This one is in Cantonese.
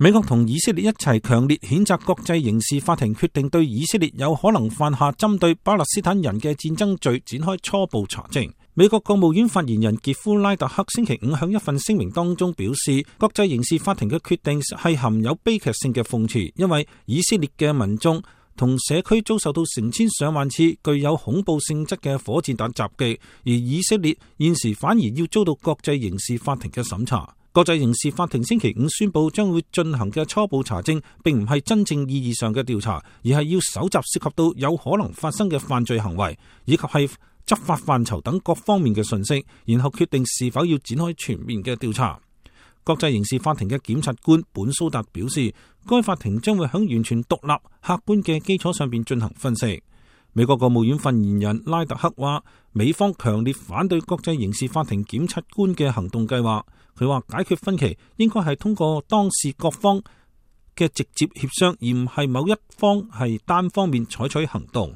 美國同以色列一齊強烈譴責國際刑事法庭決定對以色列有可能犯下針對巴勒斯坦人嘅戰爭罪展開初步查證。美國國務院發言人傑夫拉特克星期五向一份聲明當中表示，國際刑事法庭嘅決定係含有悲劇性嘅諷刺，因為以色列嘅民眾同社區遭受到成千上萬次具有恐怖性質嘅火箭彈襲擊，而以色列現時反而要遭到國際刑事法庭嘅審查。國際刑事法庭星期五宣布將會進行嘅初步查證，並唔係真正意義上嘅調查，而係要搜集涉及到有可能發生嘅犯罪行為，以及係執法範疇等各方面嘅信息，然後決定是否要展開全面嘅調查。國際刑事法庭嘅檢察官本蘇達表示，該法庭將會喺完全獨立、客觀嘅基礎上邊進行分析。美國國務院發言人拉特克話，美方強烈反對國際刑事法庭檢察官嘅行動計劃。佢話解決分歧應該係通過當事各方嘅直接協商，而唔係某一方係單方面採取行動。